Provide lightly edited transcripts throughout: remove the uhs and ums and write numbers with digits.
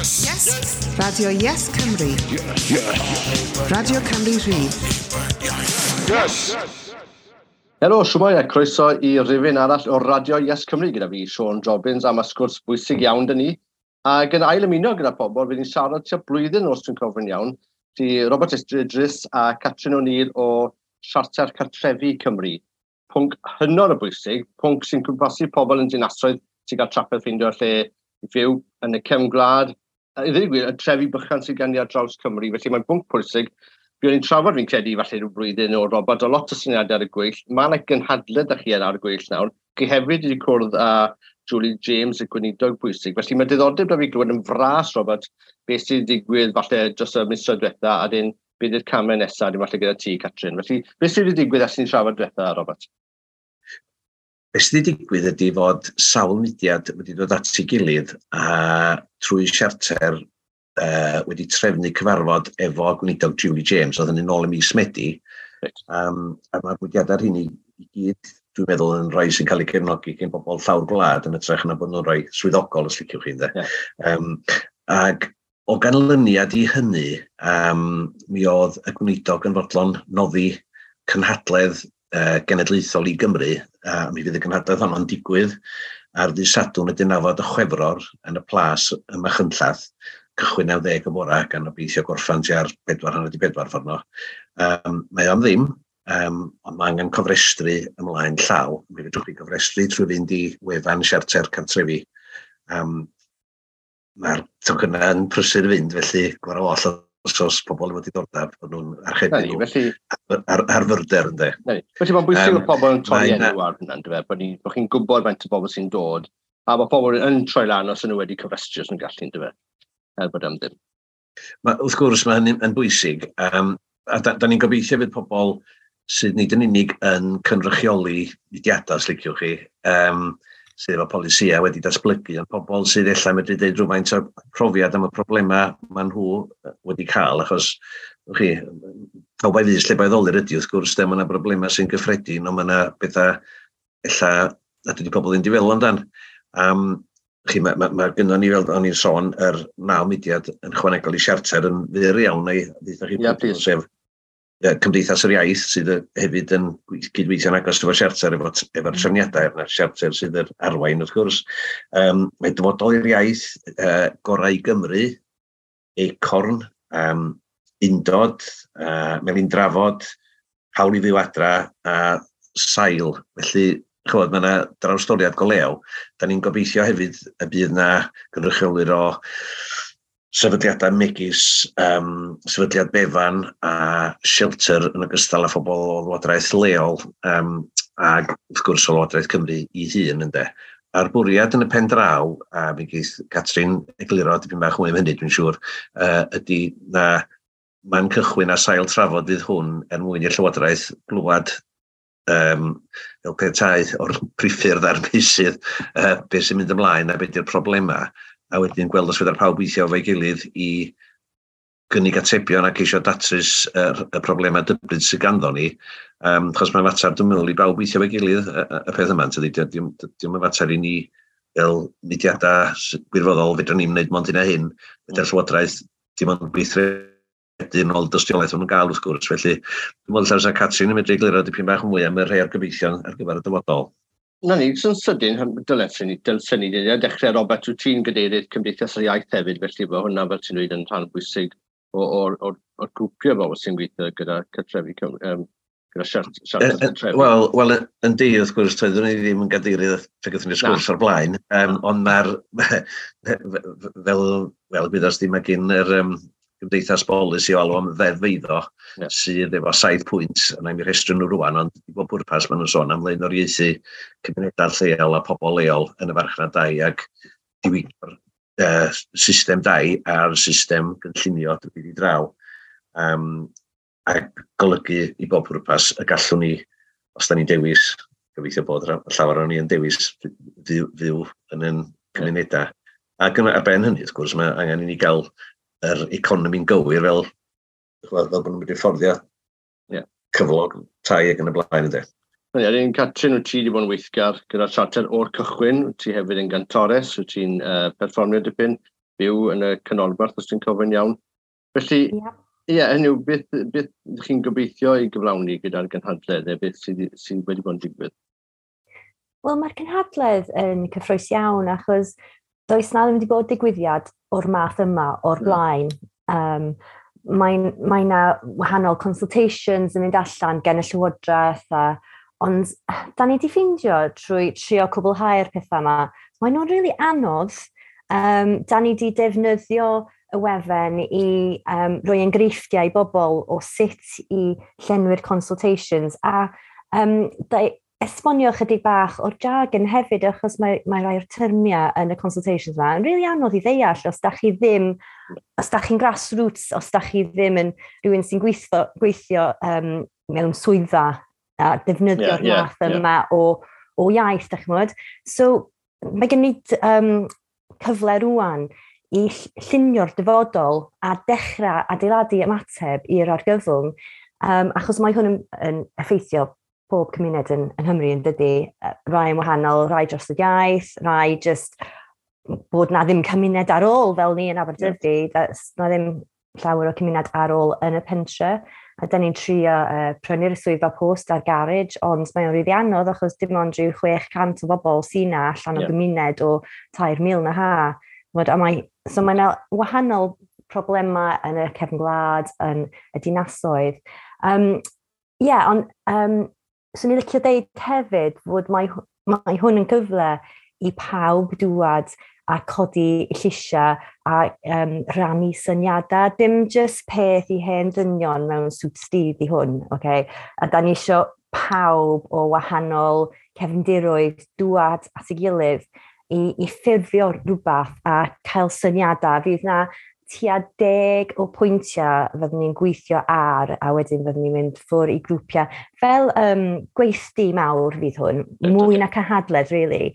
Yes! Yes! Radio Yes Cymru. Yes! Yes! Radio Cymru Rhydd. Yes! Helo, siwmai a croeso i rifyn arall o Radio Yes Cymru gyda fi, Siôn Jobbins, am y sgwrs bwysig iawn dyn ni. Ac yn ail ymuno gyda pobl, fydd ni'n siarad tua blwyddyn os dwi'n cofio'n iawn, di Robert Idris a Catrin O'Neill o Siarter Cartrefi Cymru. Pwnc hynod o bwysig, pwnc sy'n cwmpasu pobl yn dinasoedd sy'n cael trafferth ffeindio lle i fyw yn y cefn gwlad, i ddweud gwir, y trefi bychan sydd gen i ar draws Cymru, felly mae'n bwnc pwysig. Buon ni'n trafod fi'n credu falle rhyw blwyddyn o Robert, o lot o syniadau ar y gweill. Mae yna gynhadledd â chi ar y gweill nawr. Chi hefyd wedi cwrdd â Julie James, y gweinidog bwysig. Felly mae diddordeb da fi glywed yn fras, Robert, beth sydd wedi digwydd falle dros y misoedd diwetha, a dyn beth yw'r camau nesaf, dim falle gyda ti, Catrin. Felly, beth sydd wedi digwydd ers ni'n trafod diwetha, Robert? Be sydd wedi digwydd ydy fod sawl mudiad wedi dod at ei gilydd a trwy siarter wedi trefnu cyfarfod efo gweinidog Julie James, oedd hynny'n ôl ym mis Medi. Right. A mae'r mudiadau rheini i gyd, dwi'n meddwl, yn rhai sy'n cael eu cefnogi gen bobl llawr gwlad yn hytrach na bod nhw'n rhai swyddogol, os liciwch chi, ynde. Yeah. Ac o ganlyniad i hynny, mi oedd y gweinidog yn fodlon noddi cynhadledd genedlaethol i Gymru, a mi fydd y gynhadledd honno'n digwydd ar ddydd Sadwrn y 19 o Chwefror yn y Plas ym Machynlleth, cychwyn 90 y bora, gan obeithio gorffan tua'r 3:44 ffordd no. Mae o am ddim, ond mae angen cofrestru ymlaen llaw. Mi fedrwch chi gofrestru trwy fynd i wefan Siarter Cartrefi. Mae'r tocynnau yn prysur fynd, felly gwarw oll os oes pobl efo diddordeb, bod nhw'n archebu nhw felly, ar fyrder, ynddo. Felly mae'n bwysig bod pobl yn torri enw ar hynna, ynddo fe, bod chi'n gwybod faint o bobl sy'n dod, a bod pobl yn troi lan os ydyn nhw wedi cofrestru os nhw'n gallu, ynddo fe, er bod am ddim. Ma, wrth gwrs, mae hynny'n yn bwysig, a da ni'n gobeithio fydd pobl sydd nid yn unig yn cynrychioli mudiadau, os liciwch chi, sydd efo polisïau wedi datblygu, ond pobl sydd ella medru dweud rhywfaint o profiad am y problemau maen nhw wedi cael, achos chi, pawb a'i fys lle ba'i ddolur ydy, wrth gwrs, de, mae yna broblemau sy'n gyffredin, ond mae yna bethau ella nad ydy pobl ddim wedi feddwl amdan. Chi, mae gynnon ni, fel o'n i'n sôn, yr 9 mudiad yn chwanegol i siarter yn fyr iawn, neu ddeutha chi, yeah, sef Cymdeithas yr Iaith sydd hefyd yn cydweithio'n agos efo siarter, efo'r trefniadau, yna siarter sydd yr arwain wrth gwrs. Mae Dyfodol i'r Iaith, Gorau i Gymru, Acorn, Undod, Melin Drafod, Hawl i Fyw Adra a Sail. Felly, chymod, mae yna drawstoriad go lew. Da ni'n gobeithio hefyd y bydd yna gynrychiolwyr o sefydliadau megis Sefydliad Befan a Shelter yn ogystal â phobl o lywodraeth leol ac wrth gwrs o Lywodraeth Cymru i hun, ynde. A'r bwriad yn y pen draw, a mi geith Catrin egluro dipyn bach mwy am hynny dwi'n siŵr, ydy na man cychwyn a sail trafod fydd hwn er mwyn i'r Llywodraeth glwad fel petai o'r priffyrdd a'r meysydd beth sy'n mynd ymlaen a beth yw'r problemau, a wedyn gweld os fedar pawb weithio efo'i gilydd i gynnig atebion a ceisio datrys y problemau dybryd sydd ganddo ni. Achos mae'n fater, dwi'n meddwl, i bawb weithio efo'i gilydd y peth yma. Tydi, dio'm yn fater i ni fel mudiadau gwirfoddol, fedrwn ni'm wneud mond hyn a hyn, fedar Llywodraeth dim ond gweithredu yn ôl dystiolaeth maen nhw'n gael wrth gwrs. Felly, dwi'n meddwl ella Catrin yn medru egluro dipyn bach mwy am y rhai o'r gobeithion ar gyfer y dyfodol. Na ni, sy'n sydyn, dylsen ni dechrau, Robert, wyt ti'n gadeirydd Cymdeithas yr Iaith hefyd, felly bod hwnna, fel ti'n dweud, yn rhan bwysig o'r grwpiau bobl sy'n gweithio gyda Cartrefi Cymru, gyda Siarter Cartrefi. Wel, yn di, wrth gwrs, toeddwn i ddim yn gadeirydd pe gaethon ni'r sgwrs o'r blaen, ond mae'r, fel gwyddors di, mae gen yr Gymdeithas Bolisi o alw am ddeddf eiddo sydd efo 7 pwynt, a na'i mi rhestru nhw rwan, ond i bob pwrpas maen nhw'n sôn am flaenoriaethu cymunedau lleol a pobl leol yn y farchnad dai ac diwygio'r system dai a'r system gynllunio drwy i draw, ac golygu i bob pwrpas y gallwn ni, os da ni'n dewis, gobeithio bod llawer o'n ni yn dewis fyw yn ein cymunedau. Ac ar ben hynny, wrth gwrs, mae angen i ni gael yr economi'n gywir fel bod nhw'n mynd i fforddio cyflog, tai ac yn y blaen, ynddo. Ie, un Catrin, wyt ti wedi bod yn weithgar gyda'r siarter o'r cychwyn, wyt ti hefyd yn gantores, wyt ti'n perfformio dipyn. byw yn y canolbarth, os ti'n cofio'n iawn. Felly, ie, yeah, hynny yw, beth chi'n gobeithio i gyflawni gyda'r gynhadledd, neu beth sydd wedi bod yn digwydd? Wel, mae'r cynhadledd yn cyffrous iawn, achos does na ddim wedi bod digwyddiad o'r math yma o'r blaen. Mae na wahanol consultations yn mynd allan gen y Llywodraeth, ond da ni wedi ffeindio trwy trio cwblhau'r pethau yma, mae'n nhw'n rili anodd. Da ni wedi defnyddio y wefan i roi enghreifftiau i bobl o sut i llenwi'r consultations a esbonio chydig bach o'r jargon hefyd, achos mae rai o'r termiau yn y consultations yma yn rili anodd i ddeall os da chi ddim, os da chi'n grassroots, os da chi ddim yn rhywun sy'n gweithio mewn swyddfa a defnyddio'r math yma o iaith, da chi'n gwybod. So, mae gen i cyfle rwan i llunio'r dyfodol a dechrau adeiladu ymateb i'r argyfwng, achos mae hwn yn effeithio pob cymuned yn Nghymru, yn dydy, rai yn wahanol, rai dros y iaith, rai just bod na ddim cymuned ar ôl fel ni yn Aberdyfi, na ddim llawer o cymuned ar ôl yn y pentre. A da ni'n trio prynu'r swyddfa post a'r garej, ond mae'n rili anodd achos dim ond rhyw 600 o bobl sy'n na allan o gymuned o 3,000 na ha. So mae'n wahanol problemau yn y cefn gwlad, yn y dinasoedd. Yeah, ond swn i'n licio deud hefyd fod mae hwn yn gyfle i pawb dŵad a codi lleisiau a rannu syniadau. Dim just peth i hen dynion mewn suit stydd i hwn. Okay? A da ni isio pawb o wahanol cefndiroedd dŵad at ei gilydd i ffurfio rhywbeth a cael syniadau. Fydd na tua 10 o pwyntiau fyddwn ni'n gweithio ar, a wedyn fyddwn ni'n mynd ffwrdd i grwpiau. Fel gweithdy mawr fydd hwn, mwy na cynhadledd, really.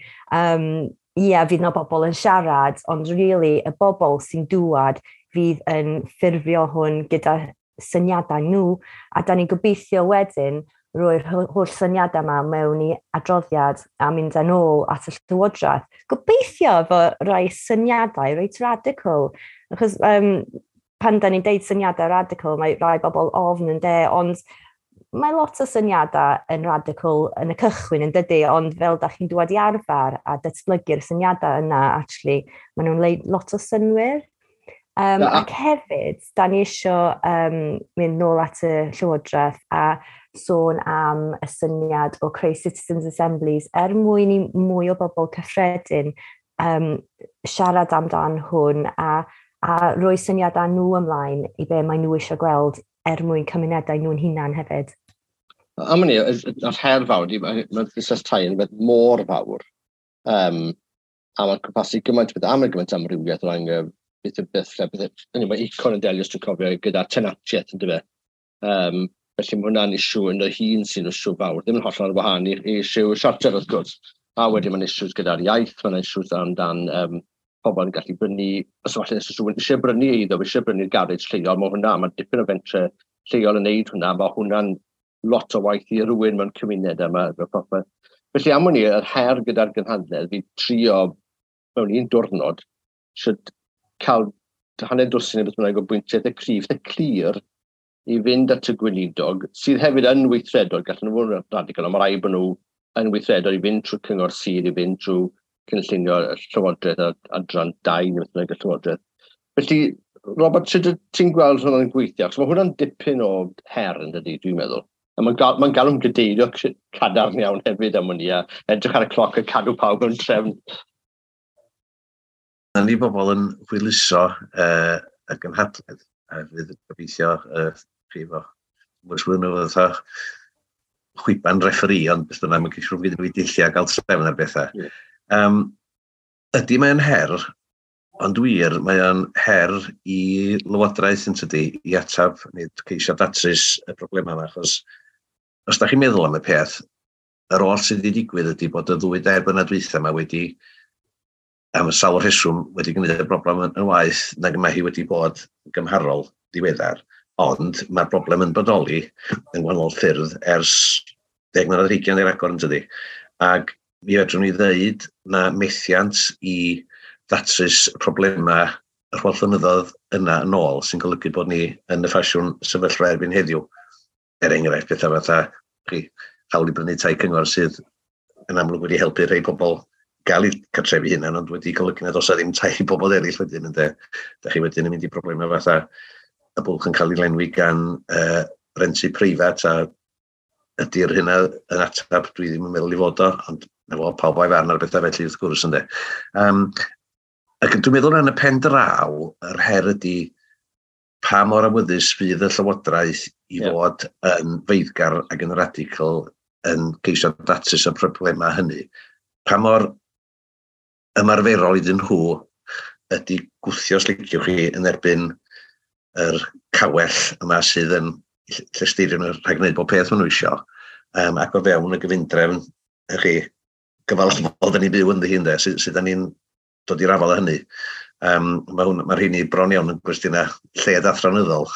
Ie, fydd na bobl yn siarad, ond really, y bobl sy'n dŵad fydd yn ffurfio hwn gyda syniadau nhw, a da ni'n gobeithio wedyn roi'r holl syniadau yma mewn i adroddiad a mynd yn ôl at y Llywodraeth. Gobeithio efo rai syniadau reit radical. Achos pan da ni'n deud syniadau radical, mae rai bobl ofn yn de, ond mae lot o syniadau yn radical yn y cychwyn, yn dydy, ond fel da chi'n dŵad i arfer a datblygu'r syniadau yna, actually, maen nhw'n neud lot o synnwyr. Ac hefyd, da ni isio mynd nôl at y Llywodraeth a sôn am y syniad o creu Citizens Assemblies er mwyn i mwy o bobl cyffredin siarad amdan hwn a rhoi syniadau nhw ymlaen i be mae nhw eisiau gweld er mwyn cymunedau nhw'n hunan hefyd. Am hynny, yr her fawr, mae'r busnes tai yn beth mor fawr. A mae'n cwmpasu gymaint o beth, am gymaint amrywiaeth o ran beth yw beth, lle beth, hynny, mae Acorn yn delio, os dwi'n cofio, gyda tenantiaeth, yn dyfe. Felly mae hwnna'n issue yn y hun sy'n issue fawr, ddim yn hollol ar wahân i issue siarter wrth gwrs. A wedyn mae'n issues gyda'r iaith, mae'n issues amdan pobl yn gallu brynu, os falle os rhywun eisiau brynu eiddo, eisiau brynu'r garej lleol, mae hwnna, mae dipyn o fentre lleol yn neud hwnna, mae hwnna'n lot o waith i rhywun mewn cymuned yma. Popeth. Felly am hwnni, yr her gyda'r gynhadledd, fi trio mewn un diwrnod, should cael hanner dwsin neu beth bynnag o bwyntiau eitha cryf, eitha clir, i fynd at y gweinidog, sydd hefyd yn weithredol, gallen nhw fod yn radical, ond mae rhaid bod nhw yn weithredol i fynd trwy cyngor sir, i fynd trwy cynllunio y Llywodraeth a adran 2 neu beth bynnag y Llywodraeth. Felly, Robert, sut ti'n gweld hwnna'n gweithio? Achos mae hwnna'n dipyn o her, yn dydy, dwi'n meddwl. A mae'n galw'n gadeirio cadarn iawn hefyd am hynny, a edrych ar y cloc a cadw pawb mewn trefn. Na ni bobl yn hwyluso y gynhadledd, a fydd gobeithio chi efo mwys nhw fatha chwiban referee, ond beth bynnag, mae'n ceisio rhywbeth i dulliau a gael trefn ar bethau. Ydy mae'n her, ond wir, mae'n her i Lywodraeth, yn tydi, i atab neu ceisio datrys y problemau yma, achos os da chi'n meddwl am y peth, yr oll sydd wedi digwydd ydy bod y ddwy dair blynedd dwytha yma wedi, am y sawl rheswm, wedi gwneud y broblem yn waeth nag mae hi wedi bod gymharol ddiweddar. Ond mae'r broblem yn bodoli yn gwahanol ffyrdd ers 10 mlynedd ar hugain neu ragor, yn tydi. Ac mi fedrwn ni ddeud na methiant i ddatrys problemau yr holl flynyddoedd yna yn ôl sy'n golygu bod ni yn y ffasiwn sefyllfa erbyn heddiw. Er enghraifft, pethau fatha chi, hawl i brynu tai cyngor sydd yn amlwg wedi helpu rhai pobl gael eu cartrefi hunan, ond wedi golygu nad oes ddim tai i bobl eraill wedyn, ynde. Da chi wedyn yn mynd i broblemau fatha y bwlch yn cael ei lenwi gan rentu preifat, a ydy'r hynna yn atab, dwi ddim yn meddwl i fod o, ond na fo, pawb o'i farn ar bethau felly wrth gwrs, ynde. Ac dwi'n meddwl yn y pen draw, yr her ydy pa mor awyddus fydd y Llywodraeth i fod yn feiddgar ac yn radical yn ceisio datrys y problemau hynny. Pa mor ymarferol iddyn nhw ydy gwthio, os liciwch chi, yn erbyn yr cawell yma sydd yn llesteirio nhw rhag gwneud bob peth maen nhw isio, ac o fewn y gyfundrefn chi gyfalafol da ni'n byw ynddi hi, ynde, sydd da ni'n dod i'r afael â hynny. Mae hwn, mae'r rheini bron iawn yn gwestiynau lled athronyddol,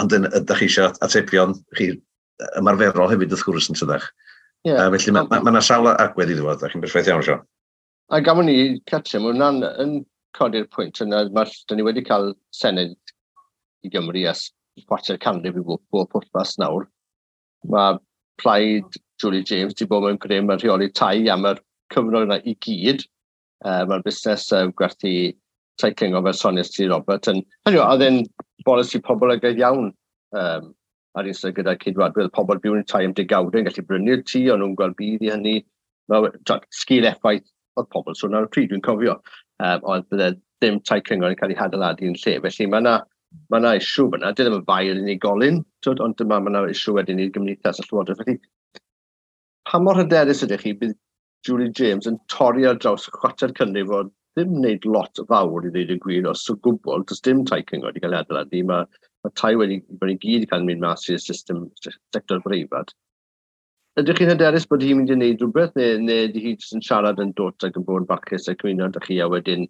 ond ydych chi eisiau atebion chi ymarferol hefyd wrth gwrs yn tydach. Yeah. Felly mae ma, ma 'na sawl agwedd iddo fo, ydych chi'n berffaith iawn, Siôn. A gafon ni catio, mae hwnna'n yn codi'r pwynt yna, mae, da ni wedi cael Senedd i Gymru ers chwarter canrif i bob pwrpas nawr. Mae plaid Julie James wedi bod mewn grym yn rheoli tai am yr cyfnod yna i gyd. Mae'r busnes gwerthu tai cyngor fel soniais ti, Robert, yn, hynny yw, oedd e'n bolisi poblogaidd iawn ar un gyda Ceidwadwyr, pobl byw yn tai am degawdau yn gallu brynu'r tŷ, o'n nhw'n gweld budd i hynny. Mae, sgil effaith oedd pobl sôn ar y pryd, dwi'n cofio, oedd bydde ddim tai cyngor yn cael ei hadeiladu yn lle. Felly mae yna ma yna issue fyna, di ddim yn fai yr unigolyn, twyd, ond dyma mae yna issue wedyn i'r gymdeithas y Llywodraeth. Felly, pa mor hyderus ydych chi bydd Julie James yn torri ar draws chwarter canrif o ddim wneud lot fawr i ddweud y gwir, os o gwbl, does dim tai cyngor wedi cael ei adeiladu, mae tai wedi bod i gyd cael mynd mas i'r system sector breifat. Ydych chi'n hyderus bod hi'n mynd i wneud rhywbeth, neu ydy hi jyst yn siarad yn dod ac yn bod yn barchus ac ymuno â chi a wedyn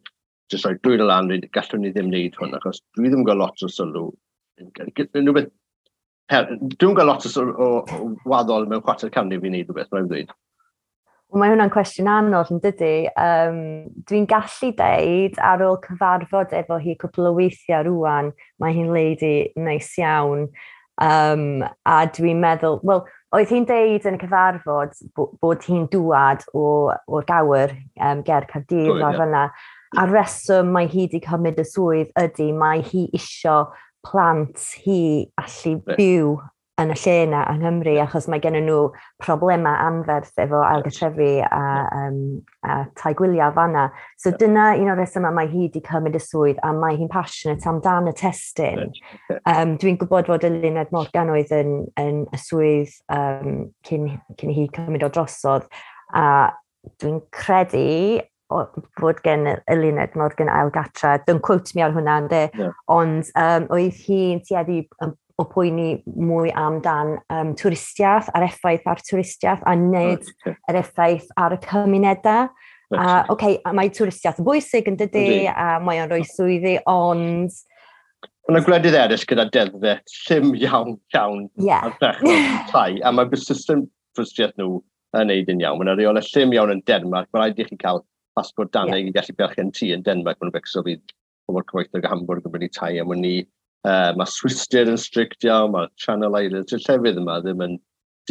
jyst rhoi dwylo lan, dweud, gallwn ni ddim wneud hwn, achos dwi ddim yn gweld lot o sylw. Rhywbeth, dwi'n gweld lot o, sylw, o waddol mewn chwarter canrif i wneud rhywbeth, mae'n dweud. Wel, mae hwnna'n cwestiwn anodd yn dydy. Dwi'n gallu deud ar ôl cyfarfod efo hi cwpl o weithiau rwan, mae hi'n lady neis iawn. A dwi'n meddwl, wel, oedd hi'n deud yn y cyfarfod bod hi'n dŵad o'r Gower ger Caerdydd lawr fyna. A reswm mae hi wedi cymryd y swydd ydy mae hi isio plant hi allu byw yn y lle yna yng Nghymru, achos mae gen nhw problemau anferth efo ailgartrefi a tai gwyliau fanna. So dyna un o'r resymau mae hi wedi cymryd y swydd a mae hi'n passionate amdan y testun. Dwi'n gwybod fod Eluned Morgan oedd yn y swydd cyn hi cymryd o drosodd, a dwi'n credu fod gen Eluned Morgan ail gatra. Don't quote me ar hwnna, ynde? Yeah. Ond oedd hi'n tueddu o poeni mwy amdan twristiaeth a'r effaith ar twristiaeth a nid yr effaith ar y cymunedau. A, okay, a mae twristiaeth yn bwysig yn dydy, a mae o'n rhoi swyddi, ond Mae yna gwledydd eraill gyda deddfau llym iawn, iawn ar dechrau tai, a mae'r system twristiaeth nhw yn neud yn iawn. Mae yna reolau llym iawn yn Denmark. Mae rhaid i chi cael pasbort Daneg i gallu berchen tŷ yn Denmark. Mae'n becso fydd pobl cyfoethog o Hamburg yn brynu tai am wn i. Mae Swistir yn strict iawn, mae Channel Islands, y llefydd yma ddim yn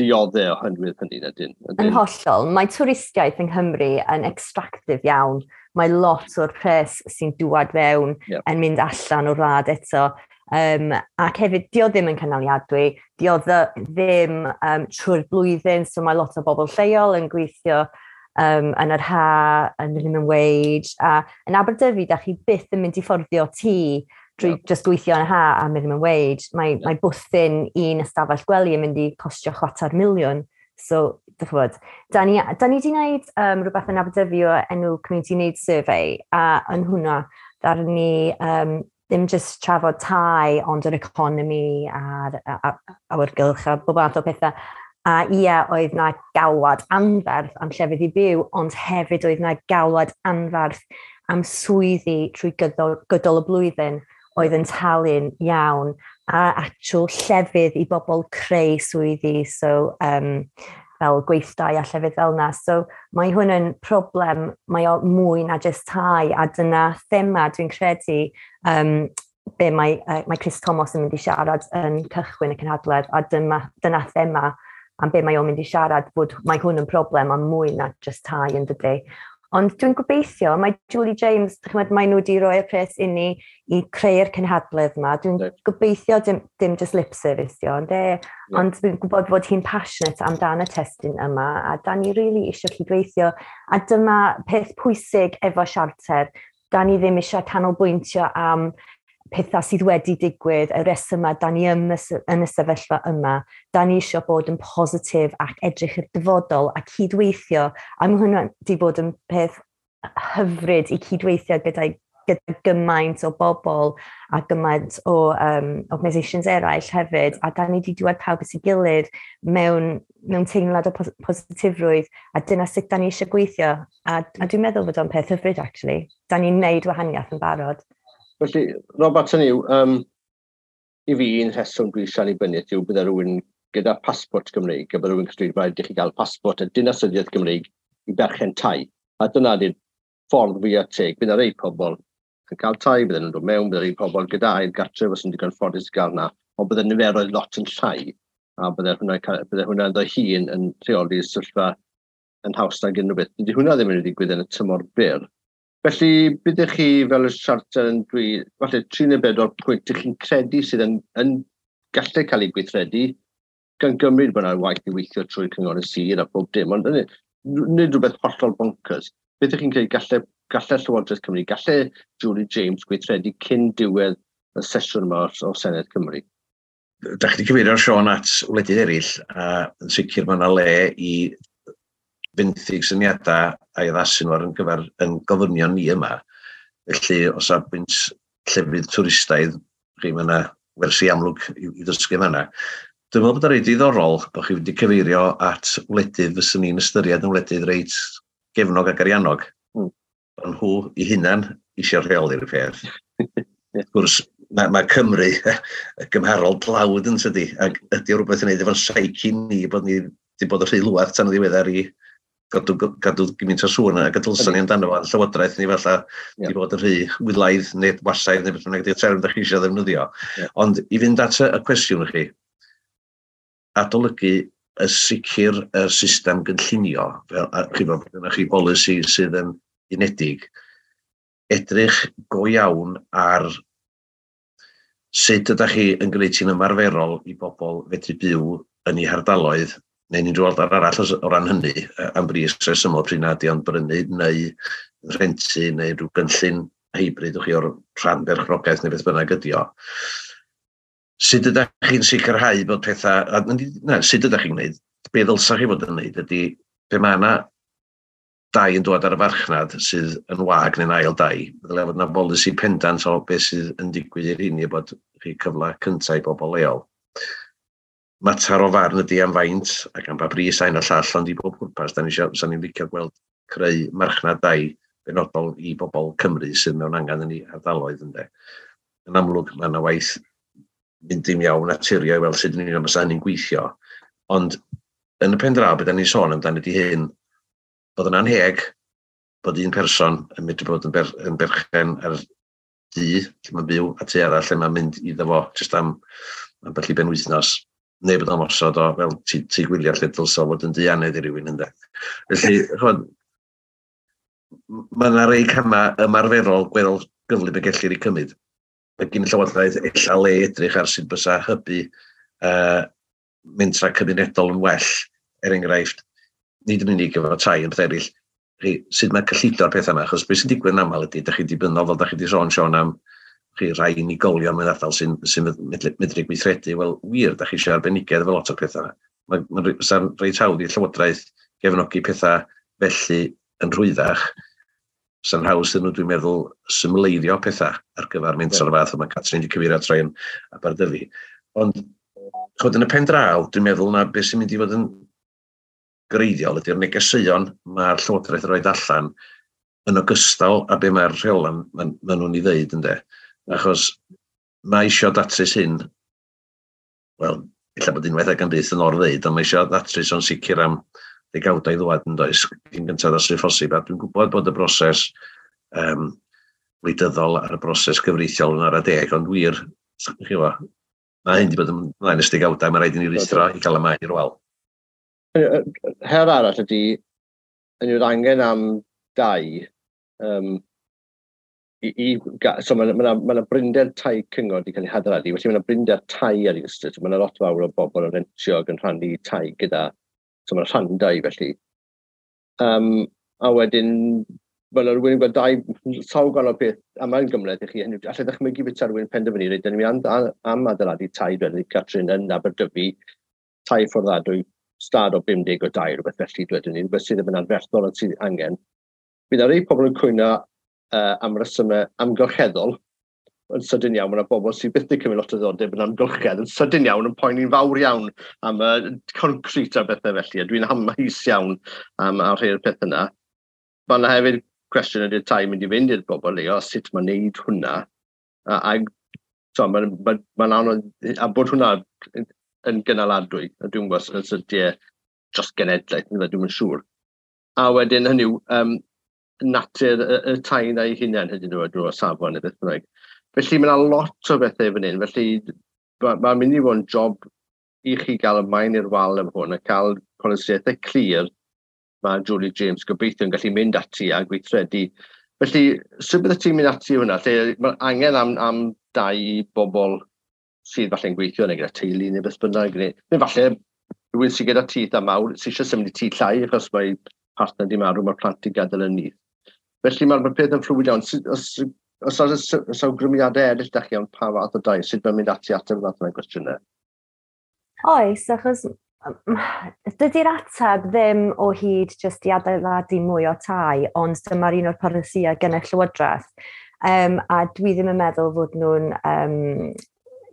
dioddef oherwydd hynny, ydyn. Yn hollol. Mae twristiaeth yng Nghymru yn extractive iawn. Mae lot o'r pres sy'n dŵad fewn yn mynd allan o'r wlad eto. Ac hefyd, dio ddim yn cynaliadwy, dio ddim trwy'r blwyddyn, so mae lot o bobl lleol yn gweithio yn yr ha, yn minimum wage, a yn Aberdyfi, da chi byth yn mynd i fforddio tŷ drwy just gweithio yn y ha a minimum wage. Mae, mae bwthyn un ystafell gwely yn mynd i costio 250,000. So, dych chi'bod, da ni wedi gwneud rhywbeth yn Aberdyfi o enw Community Needs Survey, a yn hwnna, ddaru ni ddim just trafod tai, ond yr economi a'r awyrgylch a bob math o pethau. A ia, oedd na galwad anferth am llefydd i byw, ond hefyd oedd na galwad anferth am swyddi trwy gydol y blwyddyn oedd yn talu'n iawn a actual llefydd i bobl creu swyddi. So, fel gweithdai a llefydd fel yna. So mae hwn yn problem, mae o mwy na jyst tai, a dyna thema dwi'n credu be mae Chris Thomas yn mynd i siarad yn cychwyn y cynhadledd, a dyna thema am be mae o'n mynd i siarad, bod mae hwn yn problem a mwy na jyst tai yn dydy. Ond dwi'n gobeithio, mae Julie James, chymod, mae nhw wedi rhoi'r pres inni i creu'r cynhadledd yma. Dwi'n gobeithio dim just lip service dio, ond yeah. Ond dwi'n gwybod fod hi'n passionate amdan y testun yma, a da ni really eisiau cydweithio. A dyma peth pwysig efo siarter. Da ni ddim eisiau canolbwyntio am pethau sydd wedi digwydd, y resymau da ni yn y sefyllfa yma, da ni eisiau bod yn positif ac edrych i'r dyfodol a cydweithio. A mae hwnna wedi bod yn peth hyfryd i cydweithio gyda gymaint o bobl a gymaint o organisations eraill hefyd, a da ni wedi dŵad pawb at ei gilydd mewn teimlad o positifrwydd, a dyna sut da ni eisiau gweithio. A dwi'n meddwl bod o'n peth hyfryd, actually. Da ni'n neud wahaniaeth yn barod. Felly, Robert, hynny yw, i fi un rheswm dwi eisiau annibyniaeth yw bydde rhywun gyda pasbort Gymreig, a bydde rhywun yn dweud rhaid i chi gael pasbort a dinasyddiaeth Gymreig i berchen tai. A dyna di'r ffordd fwyaf teg. Bydd rei pobl yn cael tai, bydde nhw'n dod mewn, bydde rei pobl gyda ail gartref os yn digon ffodus i gael na, ond bydde niferoedd lot yn llai, a bydde hwnna ynddo hun yn rheoli'r sefyllfa yn haws nag unrhyw beth. Dydy hwnna ddim yn digwydd yn y tymor byr. Felly, byddech chi fel y siarter yn dweud, falle 3 neu 4 pwynt ych chi'n credu sydd yn gallu cael ei gweithredu, gan gymryd bod yna waith i weithio trwy cyngor y sir a pob dim, ond nid rhywbeth hollol bonkers. Beth ych chi'n credu gallai Llywodraeth Cymru, gallai Julie James gweithredu cyn diwedd y sesiwn yma o Senedd Cymru? Da chi wedi cyfeirio, Siôn, at wledydd eraill, a yn sicr mae yna le i fenthyg syniadau a'i addasu nhw ar gyfer yn gofynion ni yma. Felly, o safbwynt llefydd twristaidd, chi, mae yna wersi amlwg i ddysgu fanna. Dwi'n meddwl bod o'n reit diddorol bod chi wedi cyfeirio at wledydd fyswn ni'n ystyried yn wledydd reit gefnog ac ariannog. Ond nhw i hunan eisiau rheoli'r peth. Wrth gwrs, mae Cymru gymharol dlawd yn tydi, ac ydy o rhywbeth yn neud efo'n psyche ni bod ni wedi bod yn rhy lwad tan y ddiweddar i gadw gymaint o sŵn a gadwlson ni amdano fo, llywodraeth ni falle di bod yn rhy wylaidd neu wasaidd neu beth bynnag ydy'r term da chi eisiau ddefnyddio. Ond i fynd at y cwestiwn i chi, adolygu y sicr y system gynllunio, fel a chi bod gennych chi bolisi sydd yn unedig, edrych go iawn ar sut ydych chi yn gwneud hi'n ymarferol i bobl fedru byw yn eu hardaloedd neu'n unrhyw ardal arall o ran hynny, am bris rhesymol pryd na ydi o'n brynu neu rhentu neu rhyw gynllun hybrid chi o'r rhan berchnogaeth neu beth bynnag ydi o. Sut ydych chi'n sicrhau bod pethau, na, sut ydych chi'n gwneud, be ddylsa chi fod yn gwneud ydy, pe mae yna dai yn dod ar y farchnad sydd yn wag neu'n ail dai, ddylai fod yna bolisi pendant o beth sydd yn digwydd i'r hyn i bod chi cyfle cyntaf i bobl leol. Mater o farn ydy am faint ac am ba bris a un a llall, ond i bob pwrpas, da ni eisiau, sa'n ni'n licio gweld creu marchnad dai benodol i bobl Cymru sydd mewn angen yn ei ardaloedd ynde. Yn amlwg, mae yna waith mynd dim iawn naturiol i weld sut yn union fysa hynny'n gweithio. Ond yn y pen draw, beth da ni'n sôn amdano ydy hyn, bod yn anheg bod un person yn medru bod yn berchen ar dŷ lle mae'n byw a tŷ arall lle mae'n mynd iddo fo jyst am ambell i benwythnos, neu bod o'n osod o fel tŷ gwyliau lle dylsa fod yn dŷ anedd i rywun ynde. Felly, ch'mod, mae yna rei camau ymarferol gweddol gyflym y gellir eu cymryd. Mae gen y Llywodraeth ella le edrych ar sut bysa hybu mentra cymunedol yn well, er enghraifft, nid yn unig efo tai yn peth eraill, chi, sut mae cyllido'r pethau yma, achos beth sy'n digwydd yn aml ydy, da chi dibynnol, fel da chi wedi sôn, Siôn, am chi rai unigolion mewn ardal sy'n medru gweithredu, wel, wir, da chi eisiau arbenigedd efo lot o'r pethau yma. Mae'n reit hawdd i'r Llywodraeth gefnogi pethau felly yn rhwyddach. Sa'n haws iddyn nhw, dwi'n meddwl, symleiddio pethau ar gyfer menter o'r fath yma, Catrin wedi cyfeirio at rai yn Aberdyfi. Ond, ch'mod, yn y pen draw, dwi'n meddwl na beth sy'n mynd i fod yn greiddiol ydy'r negeseuon mae'r Llywodraeth yn rhoi allan yn ogystal â be mae'r rheolau ma nhw'n ei ddeud, ynde. Achos mae isio datrys hyn, wel, Ella bod unwaith ac yn byth yn orfeid, ond mae eisiau ddatrys o'n sicr am ddegawdau i ddwad yn does, cyn gyntaf os sy'n phosib. A dwi'n gwybod bod y broses wleidyddol a'r broses gyfreithiol yn ara deg, ond wir, chi fo, mae hyn wedi bod ymlaen ers degawdau, mae rhaid i ni ruthro i gael y maen i'r wal. Her arall ydy, yn yw'r angen am dai, so mae yna ma, ma brinder tai cyngor wedi cael ei hadeiladu, felly mae yna brinder tai ar ei ystod, so mae yna lot fawr o bobl yn rentio ac yn rhannu tai gyda, so mae'n rhan dai felly. A wedyn, mae yna rhywun yn gweld dau, sawl gwahanol peth, a mae'n gymhleth i chi, hynny, allai ddychmygu beth rhywun penderfynu, reit, dyn ni am, am adeiladu tai dweud Catrin yn Aberdyfi, tai fforddadwy, stad o 50 o dai, rhywbeth felly, dwedwn ni, rhywbeth sydd ddim yn anferthol ond sydd angen. Bydd yna rei pobl yn cwyno am resymau amgylcheddol, yn sydyn iawn, mae yna bobl sydd byth wedi cymryd lot o ddiddordeb yn amgylchedd, yn sydyn iawn, yn poeni'n fawr iawn am y concret a bethau felly, a dwi'n amheus iawn am ar rhai'r peth yna. Mae yna hefyd cwestiwn ydy'r tai mynd i fynd i'r bobl leol, sut mae'n neud hwnna. A so, mae'n ma, ma anodd, a bod hwnna yn gynaladwy, a dwi'n gwybod os ydy e dros genedlaeth, dwi'n yn siŵr. A wedyn hynny yw, natur y tai na ei hunain, hynny yw, drwy safon neu beth bynnag. Felly mae yna lot o bethau fan hyn, felly mae'n ma mynd i fod yn job i chi gael y maen i'r wal efo hwn a cael polisiaethau clir mae Julie James gobeithio yn gallu mynd ati a gweithredu. Felly, sut bydde ti'n mynd ati hwnna? Lle mae angen am dai i bobl sydd falle'n gweithio neu gyda teulu neu beth bynnag. Neu falle rhywun sydd gyda tŷ eitha mawr sydd eisiau symud i tŷ llai achos mae partner di marw, mae'r plant i gadael yn nyth. Felly mae'r ma peth yn fluid iawn. Os oes os awgrymiadau eraill da chi am pa fath o dai, sut mae'n mynd ati ateb y fath yna gwestiynau? Oes, achos dydy'r ateb ddim o hyd jyst i adeiladu mwy o tai, ond dyma'r un o'r polisïau gen y Llywodraeth. A dwi ddim yn meddwl fod nhw'n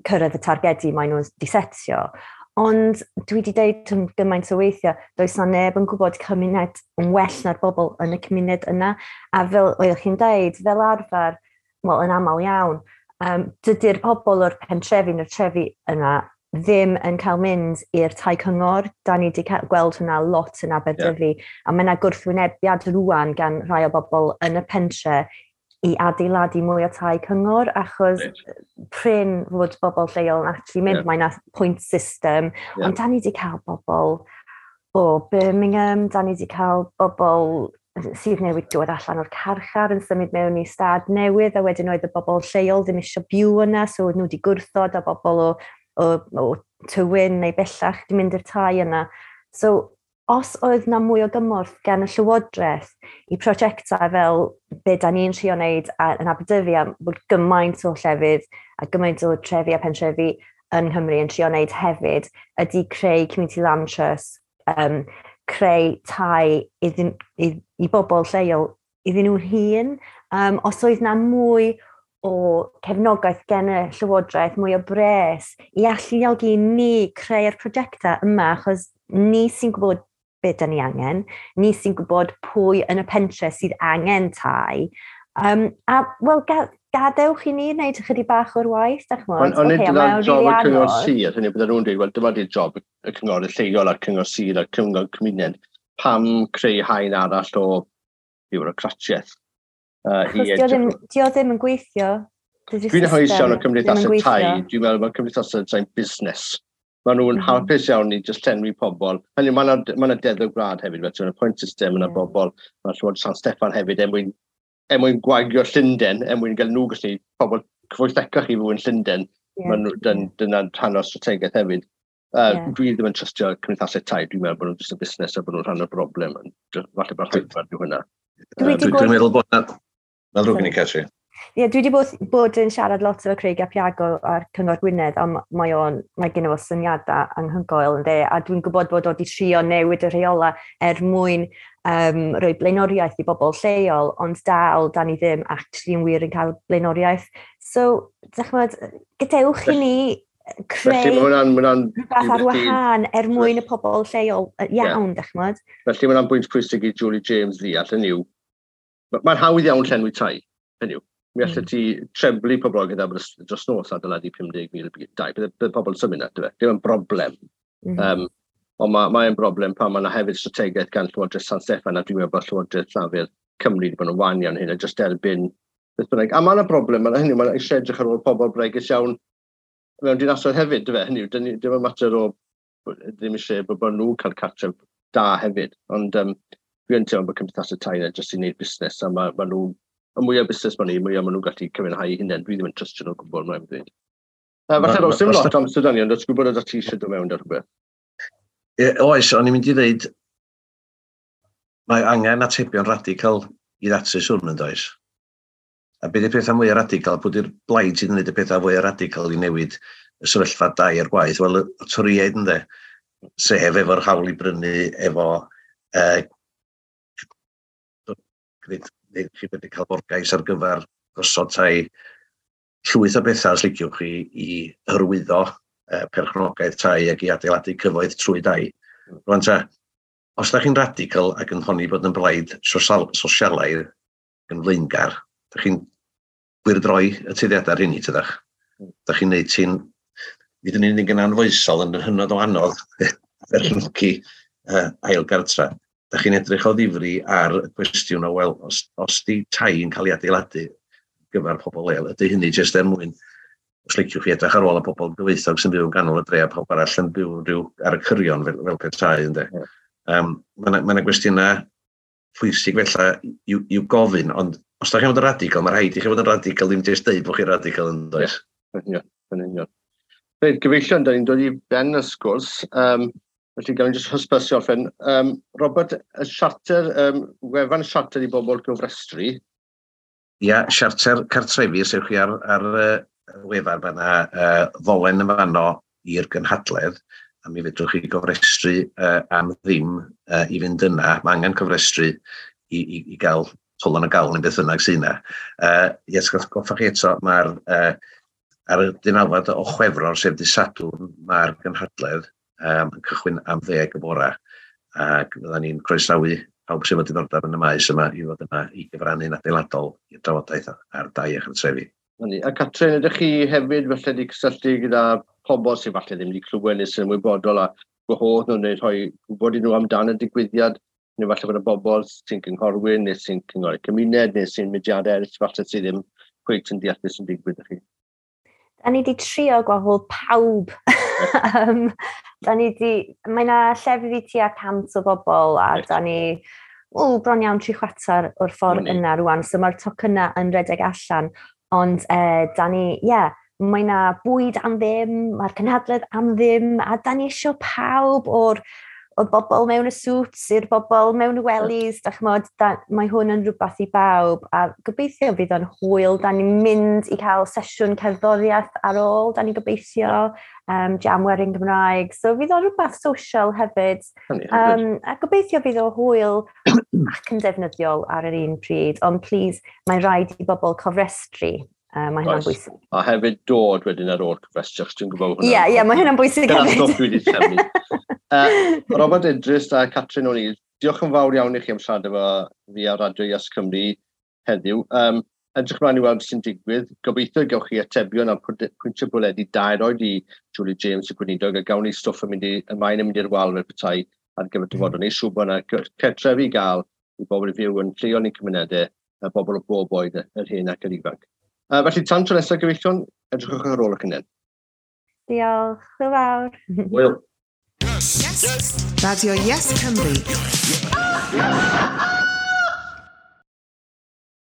cyrraedd y targedi maen nhw'n disetio. Ond dwi wedi deud yn gymaint o weithiau, does na neb yn gwybod cymuned yn well na'r bobl yn y cymuned yna. A fel oeddech chi'n deud, fel arfer, wel, yn aml iawn, dydy'r pobl o'r pentrefi neu'r trefi yna ddim yn cael mynd i'r tai cyngor. Da ni wedi gweld hwnna lot yn Aberdyfi. A mae yna gwrthwynebiad rwan gan rhai o bobl yn y pentre i adeiladu mwy o tai cyngor, achos prin fod bobl lleol yn actually mynd. Mae yna point system, ond da ni wedi cael bobl o Birmingham, da ni wedi cael bobl sydd newydd dod allan o'r carchar yn symud mewn i stad newydd, a wedyn oedd y bobl lleol ddim eisiau byw yna, so oedd nhw wedi gwrthod, a bobl o Tywyn neu bellach wedi mynd i'r tai yna. So, os oedd na mwy o gymorth gan y Llywodraeth i prosiectau fel be da ni'n trio wneud yn Aberdyfi, a bod gymaint o llefydd a gymaint o trefi a pentrefi yn Nghymru yn trio wneud hefyd, ydy creu Community Land Trust, creu tai i bobl lleol iddyn nhw'n hun. Os oedd na mwy o cefnogaeth gen y Llywodraeth, mwy o bres i alluogi ni creu'r prosiectau yma, achos ni sy'n gwybod beth da ni angen, ni sy'n gwybod pwy yn y pentre sydd angen tai. A, wel, gadewch i ni wneud ychydig bach o'r waith, dach ch'mod? Ond nid dyna job y cyngor sir, hynny bydden nhw'n dweud, wel, dyma di'r job y cyngor lleol a'r cyngor sir a'r cyngor cymuned. Pam creu haen arall o biwrocratiaeth? Achos dio ddim yn gweithio. Dwi'n hapus iawn o cymdeithasau tai. Dwi'n meddwl bod cymdeithasau tai'n busnes. Maen nhw'n hapus iawn i just llenwi pobl. Hynny, mae yna deddf gwlad hefyd, felly mae'n point system yna bobl. Mae Llywodraeth San Steffan hefyd er mwyn gwagio Llundain, er mwyn gael nhw gallu pobl cyfoethocach i fyw yn Llundain. Maen nhw, dyna'n rhan o'r strategaeth hefyd. Dwi ddim yn trystio cymdeithasau tai, dwi'n meddwl bod nhw'n just yn busnes a bod nhw'n rhan o'r broblem. Falle bod rhaid yw hynna. Dwi'n meddwl bod na. Mae'n ddrwg gen i, Catrin. Ie, yeah, dwi wedi bod yn siarad lot efo Craig ap Iago ar Cyngor Gwynedd, ond mae gen fo syniadau anhygoel yn de, a dwi'n gwybod bod o wedi trio newid y rheola er mwyn rhoi blaenoriaeth i bobl lleol, ond dal, da ni ddim actually yn wir yn cael blaenoriaeth. So, dych ch'mod, gadewch i ni creu Felly mae hwnna'n rhywbeth ar wahân er mwyn y pobl lleol iawn, dych ch'mod. Felly mae hwnna'n bwynt pwysig i Julie James ddeall, hynny yw, mae'n hawdd iawn llenwi tai, hynny yw. Mi allet ti treblu poblogaeth Aberystwyth dros nos adeiladu 50,000 dai. Bydd pobl yn symud na, dyfe? Dim yn broblem. Ond mae'n broblem pan mae yna hefyd strategaeth gan Llywodraeth San Steffan, a dwi'n meddwl bod Llywodraeth Llafur Cymru wedi bod yn wan iawn hyn, a jyst derbyn beth bynnag. A mae yna broblem, mae hynny, mae'n eisiau edrych ar ôl pobl bregus iawn mewn dinasoedd hefyd, dyfe? Hynny yw, dim yn mater o ddim eisiau bod nhw'n cael cartref da hefyd. Ond dwi yn teimlo bod cymdeithasau tai yna jyst i wneud busnes, a ma nhw, y mwyaf busnes maen nhw, mwyaf maen nhw'n gallu cyfiawnhau hunain. Dwi ddim yn trystio nhw o gwbl, mae'n dweud. Falle, Ros, dim lot amser da ni, ond os gwybod ydych ti eisiau dod mewn ar rhywbeth. Oes, o'n i'n mynd i ddeud, mae angen atebion radical i ddatrys hwn yn does. A beth yw'r pethau mwy radical? Pwy yw'r blaid sydd yn gwneud y pethau fwy radical i newid y sefyllfa dai a'r gwaith? Wel, y Torïaid ynde, sef efo'r hawl i brynu, efo chi wedi cael borgais ar gyfer gosod tai, llwyth o bethau os liciwch chi i hyrwyddo perchnogaeth tai ac i adeiladu cyfoeth trwy dai. Rwan ta, os da chi'n radical ac yn honni bod yn blaid sosialaidd yn flaengar, da chi'n gwyrdroi y tueddiadau rheini, tydach? Da chi'n neud ti'n, nid yn unig yn anfoesol, yn hynod o anodd berchnogi ail gartra. Da chi'n edrych o ddifri ar y cwestiwn o, wel, os di tai yn cael ei adeiladu gyfer pobl leol, ydy hynny jyst er mwyn, os liciwch chi edrych ar ôl y pobl gyfoethog sy'n byw yn ganol y dre a pawb arall yn byw rhyw ar y cyrion fel petai, ynde. Mae yna gwestiynau pwysig felly i'w gofyn, ond os da chi'n fod yn radical, mae rhaid i chi fod yn radical, ddim jyst deud bod chi'n radical yn does. Ie, yn union. Reit, gyfeillion, da ni'n dod i ben y sgwrs, felly gawn ni jyst hysbysu orffen. Robert, y siarter, wefan siarter i bobl gofrestru. Ia, siarter cartrefi, sef chi ar wefan, mae yna ddolen yn fanno i'r gynhadledd, a mi fedrwch chi gofrestru am ddim i fynd yna. Mae angen cofrestru i gael twlon y gael neu beth bynnag sydd yna. Ie, atgoffa chi eto, mae'r ar y 19 o Chwefror, sef dydd Sadwrn, mae'r gynhadledd yn cychwyn am 10 y bora, ac fyddan ni'n croesawu pawb sydd efo diddordeb yn y maes yma i fod yna i gyfrannu'n adeiladol i'r drafodaeth ar dai a chartrefi. A Catrin, ydych chi hefyd falle wedi cysylltu gyda pobl sydd falle ddim wedi clywed neu sy'n ymwybodol a gwahodd nhw neu rhoi gwybod i nhw amdan y digwyddiad, neu falle bod y bobl sy'n cynghorwyr neu sy'n cynghori cymuned neu sy'n mudiadau eraill falle sydd ddim cweit yn deall beth sy'n digwydd i chi? Da ni wedi trio gwahodd pawb. Da ni di, mae yna llefydd i tua 100 o bobl a da ni bron iawn 3/4 o'r ffordd yna rwan, so mae'r tocynnau yn redeg allan. Ond da ni, ie, mae yna bwyd am ddim, mae'r cynhadledd am ddim, a da ni isio pawb o'r bobl mewn y suits i'r bobl mewn y wellies, da ch'mod, mae hwn yn rhywbeth i bawb, a gobeithio fydd o'n hwyl. Da ni'n mynd i cael sesiwn cerddoriaeth ar ôl, da ni'n gobeithio, jam werin Gymraeg, so fydd o'n rhywbeth social hefyd. A gobeithio fydd o hwyl ac yn defnyddiol ar yr un pryd, ond please, mae rhaid i bobl cofrestru. Mae hynna'n bwysig. A hefyd dod wedyn ar ôl cofrestru, achos dwi'n gwybod hwnna. Ie, mae hynna'n bwysig hefyd. Dyna'r stwff dwi wedi trefnu. Robert Idris a Catrin O'Neill, diolch yn fawr iawn i chi am siarad efo fi ar Radio Yes Cymru heddiw. Edrych ymlaen i weld sy'n digwydd. Gobeithio gewch chi atebion a pwyntio bwledi dair oed i Julie James y gweinidog, a gawn ni stwff yn mynd i, y maen yn mynd i'r wal fel petai ar gyfer dyfodol. Ni siŵr bod yna cartrefi i gael i bobl i fyw yn lleol i'n cymunedau, a bobl o bob oed, yr hen ac yr ifanc. Felly, tan tro nesaf, gyfeillion, edrychwch ar ôl eich hunain. Diolch, hwyl fawr. Hwyl. Yes. Radio Yes Cymru.